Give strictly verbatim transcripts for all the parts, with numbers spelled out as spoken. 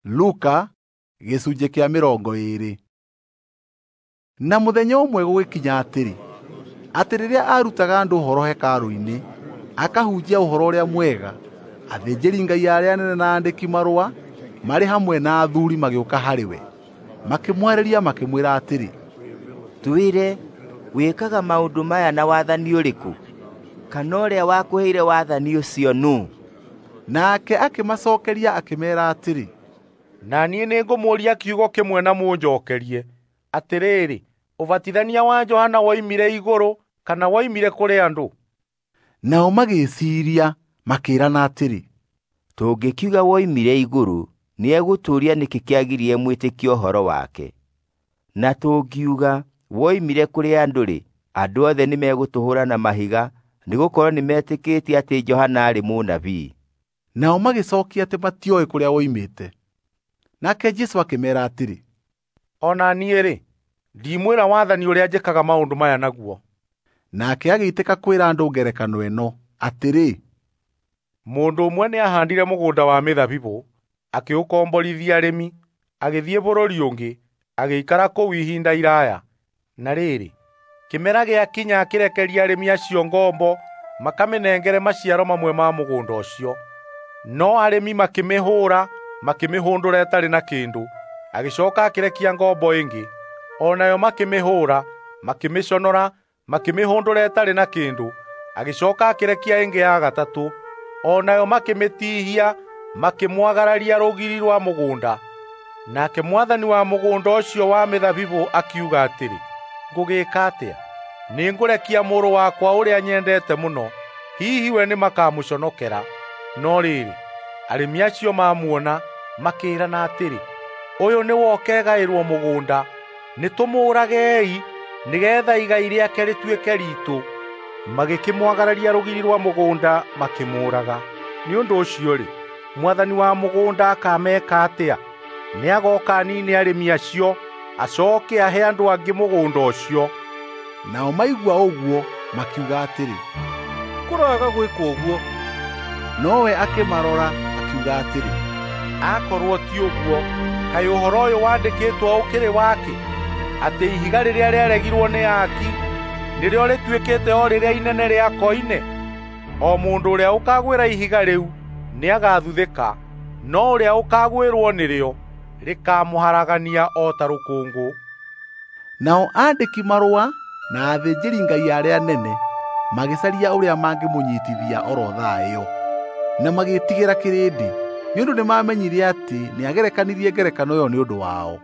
Luka gĩcunjĩ kĩa mĩrongo ĩĩrĩ. Na mũthenya ũmwe gũgĩkinya atĩrĩ, atĩ rĩrĩa aarutaga andũ ũhoro hekarũ-inĩ, akahunjia ũhoro ũrĩa mwega, athĩnjĩri-Ngai arĩa anene na aandĩki-marũa marĩ hamwe na athuuri magĩũka harĩ we. Makĩmwarĩria makĩmwĩra atĩrĩ, "Twĩre, wĩkaga maũndũ maya na wathani ũrĩkũ? Kana ũrĩa wakũheire wathani ũcio nũũ?" Nake akĩmacookeria akĩmeera atĩrĩ, "Na niĩ nĩngũmũũria kiugo kĩmwe na mũnjookerie. Atĩrĩrĩ, ũbatithania wa Johana woimire igũrũ kana woimire kũrĩ andũ?" Nao magĩĩciiria makĩĩrana atĩrĩ, "Tũngĩkiuga woimire igũrũ, nĩegũtũũria nĩkĩ kĩagiririe mwĩtĩkie ũhoro wake. Na tũngiuga woimire kũrĩ andũ-rĩ, andũ othe nĩmegũtũhũũra na mahiga, nĩgũkorwo nĩmetĩkĩtie atĩ Johana aarĩ mũnabii." Nao magĩcookia atĩ matioĩ kũrĩa woimĩte. Nake Jesũ akĩmeera atĩrĩ, "O na niĩ-rĩ, ndimwĩra wathani ũrĩa njĩkaga maũndũ maya naguo." Nake agĩitĩka kwĩra andũ ngerekano ĩno, atĩrĩ, "Mũndũ ũmwe nĩahaandire mũgũnda wa mĩthabibũ, akĩũkomborithia arĩmi, agĩthiĩ bũrũri ũngĩ, agĩikara kũu ihinda iraaya. Na rĩrĩ, kĩmera gĩakinya akĩrekeria arĩmi acio ngombo makamĩnengere maciaro mamwe ma mũgũnda ũcio. No arĩmi makĩmĩhũũra, makĩmĩhũndũra ĩtarĩ na kĩndũ. Agĩcooka akĩrekia ngombo ĩngĩ, o nayo makĩmĩhũũra, makĩmĩconora, makĩmĩhũndũra ĩtarĩ na kĩndũ. Agĩcooka akĩrekia ĩngĩ ya gatatũ, o nayo makĩmĩtihia, makĩmwagararia rũgiri rwa mũgũnda. Nake mwathani wa mũgũnda ũcio wa mĩthabibũ akiuga atĩrĩ, 'Ngũgĩĩka atĩa? Nĩngũrekia mũrũ wakwa ũrĩa nyendete mũno. Hihi we nĩmakamũconokera.' No rĩrĩ, arĩmi acio mamuona, makĩĩrana atĩrĩ, 'Ũyũ nĩwe ũkegaĩrwo mũgũnda. Nĩtũmũũragei, nĩgeetha igai rĩake rĩtuĩke riitũ.' Magĩkĩmwagararia rũgiri rwa mũgũnda makĩmũũraga. Nĩ ũndũ ũcio-rĩ, mwathani wa mũgũnda akameeka atĩa? Nĩagooka aniine arĩmi acio, acooke ahe andũ angĩ mũgũnda ũcio." Nao maigua ũguo makiuga atĩrĩ, "Kũroaga gwĩkwo ũguo." Nowe akĩmarora akiuga atĩrĩ, "Akorwo ti ũguo, kaĩ ũhoro ũyũ wandĩkĩtwo ũkĩrĩ wakĩ, atĩ ihiga rĩrĩa rĩaregirwo nĩ aaki nĩrĩo rĩtuĩkĩte o rĩrĩa inene rĩa koine? O mũndũ ũrĩa ũkaagwĩra ihiga rĩu nĩagathuthĩka, no ũrĩa ũkaagwĩrwo nĩrĩo rĩkaamũharagania o ta rũkũngũ." Nao aandĩki-marũa na athĩnjĩri-Ngai arĩa anene magĩcaria ũrĩa mangĩmũnyiitithia o ro thaa ĩyo, na magĩĩtigĩra kĩrĩndĩ, nĩ ũndũ nĩmamenyire atĩ nĩagerekanirie ngerekano ĩyo nĩ ũndũ wao.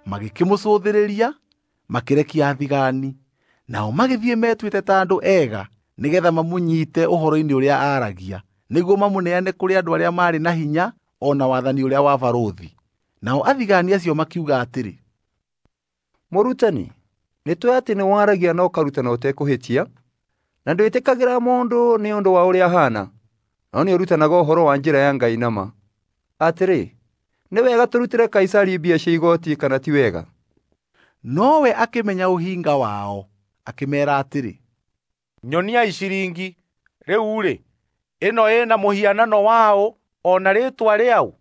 Magĩkĩmũcũthĩrĩria, makĩrekia athigani. Nao magĩthiĩ metuĩte ta andũ ega nĩgeetha mamũnyiite ũhoro-inĩ ũrĩa aaragia, nĩguo mamũneane kũrĩ andũ arĩa maarĩ na hinya o na wathani ũrĩa wa barũthi. Nao athigani acio makiuga atĩrĩ, "Mũrutani, nĩtũũĩ atĩ nĩwaragia na ũkarutana ũtekũhĩtia, na ndwĩtĩkagĩra mũndũ nĩ ũndũ wa ũrĩa ahaana, no nĩũrutanaga ũhoro wa njĩra ya Ngai na ma. Atĩrĩ, nĩ wega tũrutĩre Kaisari mbia cia igooti kana ti wega?" Nowe akĩmenya ũhinga wao, akĩmeera atĩrĩ, "Nyoniai ciringi. Rĩu-rĩ, ĩno ĩna mũhianano waũ o na rĩĩtwa rĩaũ?"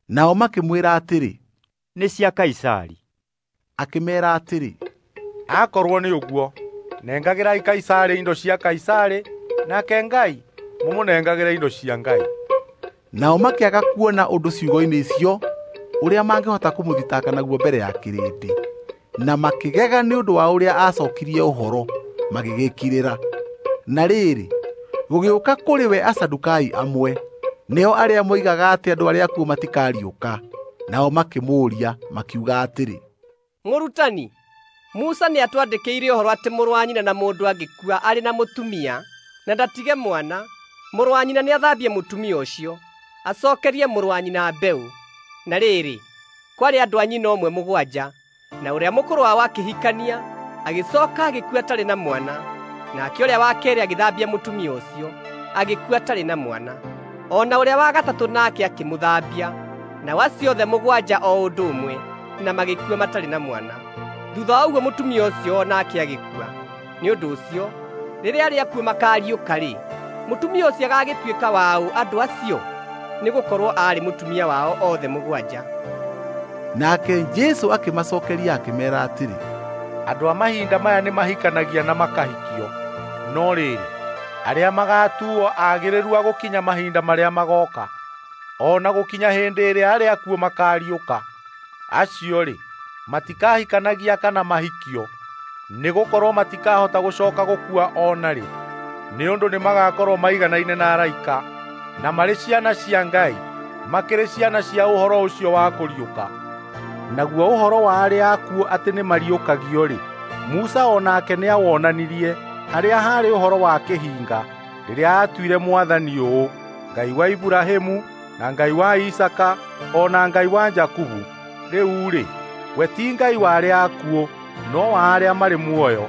Nao makĩmwĩra atĩrĩ, "Nĩ cia Kaisari." Akĩmeera atĩrĩ, "Akorwo nĩ ũguo, nengagĩrai Kaisari indo cia Kaisari, nake Ngai mũmũnengagĩre indo cia Ngai." Nao makĩaga kuona ũndũ ciugo-inĩ icio ũrĩa mangĩhota kũmũthitanga naguo mbere ya kĩrĩndĩ, na makĩgega nĩ ũndũ wa ũrĩa aacookirie ũhoro, magĩgĩkirĩra. Na rĩrĩ, gũgĩũka kũrĩ we Asadukai amwe, nĩo arĩa moigaga atĩ andũ arĩa akuũ matikariũka. Nao makĩmũũria makiuga atĩrĩ, "Mũrutani, Musa nĩatwandĩkĩire ũhoro atĩ mũrũ wa nyina na mũndũ angĩkua arĩ na mũtumia na ndatige mwana, mũrũ wa nyina nĩathambie mũtumia ũcio, acookerie mũrũ wa nyina mbeũ. Na rĩrĩ, kwarĩ andũ a nyina ũmwe mũgwanja, na ũrĩa mũkũrũ wao akĩhikania, agĩcooka agĩkua atarĩ na mwana. Nake ũrĩa wa keerĩ agĩthambia mũtumia ũcio, agĩkua atarĩ na mwana. O na ũrĩa wa gatatũ nake akĩmũthambia, nao acio othe mũgwanja o ũndũ ũmwe, na magĩkua matarĩ na mwana. Thuutha wa ũguo mũtumia ũcio o nake agĩkua. Nĩ ũndũ ũcio, rĩrĩa arĩa akuũ makaariũka-rĩ, mũtumia ũcio agagĩtuĩka waũ andũ acio?" Nĩgũkorwo aarĩ mũtumia wao othe mũgwanja. Nake Jesũ akĩmacookeria akĩmeera atĩrĩ, Andũ a mahinda maya nĩmahikanagia na makahikio, no rĩrĩ, arĩa magatuuo agĩrĩru a gũkinya mahinda marĩa magooka, o na gũkinya hĩndĩ ĩrĩa arĩa akuũ makaariũka, acio-rĩ, matikahikanagia kana mahikio, nĩgũkorwo matikahota gũcooka gũkua o na rĩ, nĩ ũndũ nĩmagakorwo maiganaine na araika, na marĩ ciana cia Ngai, makĩrĩ ciana cia ũhoro ũcio wa kũriũka. Naguo ũhoro wa arĩa akuũ atĩ nĩmariũkagio-rĩ, Musa o nake nĩawonanirie harĩa haarĩ ũhoro wa kĩhinga, rĩrĩa aatuire Mwathani ũũ, Ngai wa Iburahĩmu, na Ngai wa Isaaka, o na Ngai wa Jakubu. Rĩu-rĩ, we ti Ngai wa arĩa akuũ, no wa arĩa marĩ muoyo,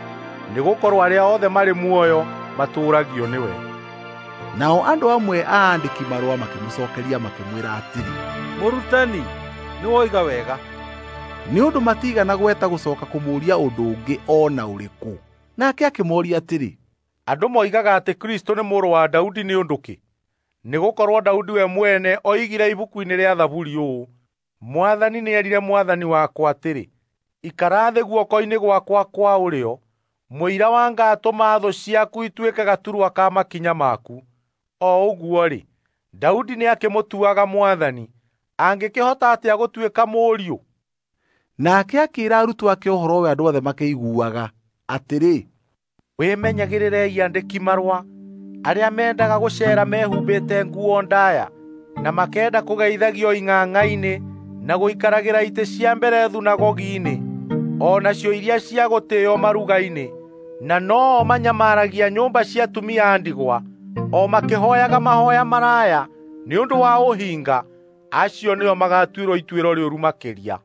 nĩgũkorwo arĩa othe marĩ muoyo matũũragio nĩwe. Nao andũ amwe a aandĩki marũa makĩmũcookeria makĩmwĩra atĩrĩ, Mũrutani, nĩwoiga wega. Nĩ ũndũ matiigana gweta gũcooka kũmũũria ũndũ ũngĩ o na ũrĩkũ. Nake akĩmooria atĩrĩ, Andũ moigaga atĩ Kristũ nĩ mũrũ wa Daudi nĩ ũndũ kĩ? Nĩgũkorwo Daudi we mwene oigire ibuku-inĩ rĩa Thaburi ũũ, Mwathani nĩerire Mwathani wakwa atĩrĩ, ikara thĩ guoko-inĩ gwakwa kwa ũrĩo, mũira wa ngatũma thũ ciaku ituĩke gaturwa ka makinya maku. O ũguo-rĩ, Daudi nĩakĩmũtuaga Mwathani, angĩkĩhota atĩa gũtuĩka mũriũ? Nake akĩĩra arutwo ake ũhoro ũyũ andũ othe makĩiguaga, atĩrĩ, Wĩmenyagĩrĩrei andĩki marũa, arĩa mendaga gũceera mehumbĩte nguo ndaaya, na makenda kũgeithagio ing'ang'a-inĩ, na gũikaragĩra itĩ cia mbere thunagogi-inĩ, o nacio iria cia gũtĩĩo maruga-inĩ, na no-o manyamaragia nyũmba cia atumia a ndigwa, o makĩhooyaga mahooya maraya nĩ ũndũ wa ũhinga. Acio nĩo magatuĩrwo ituĩro rĩũru makĩria.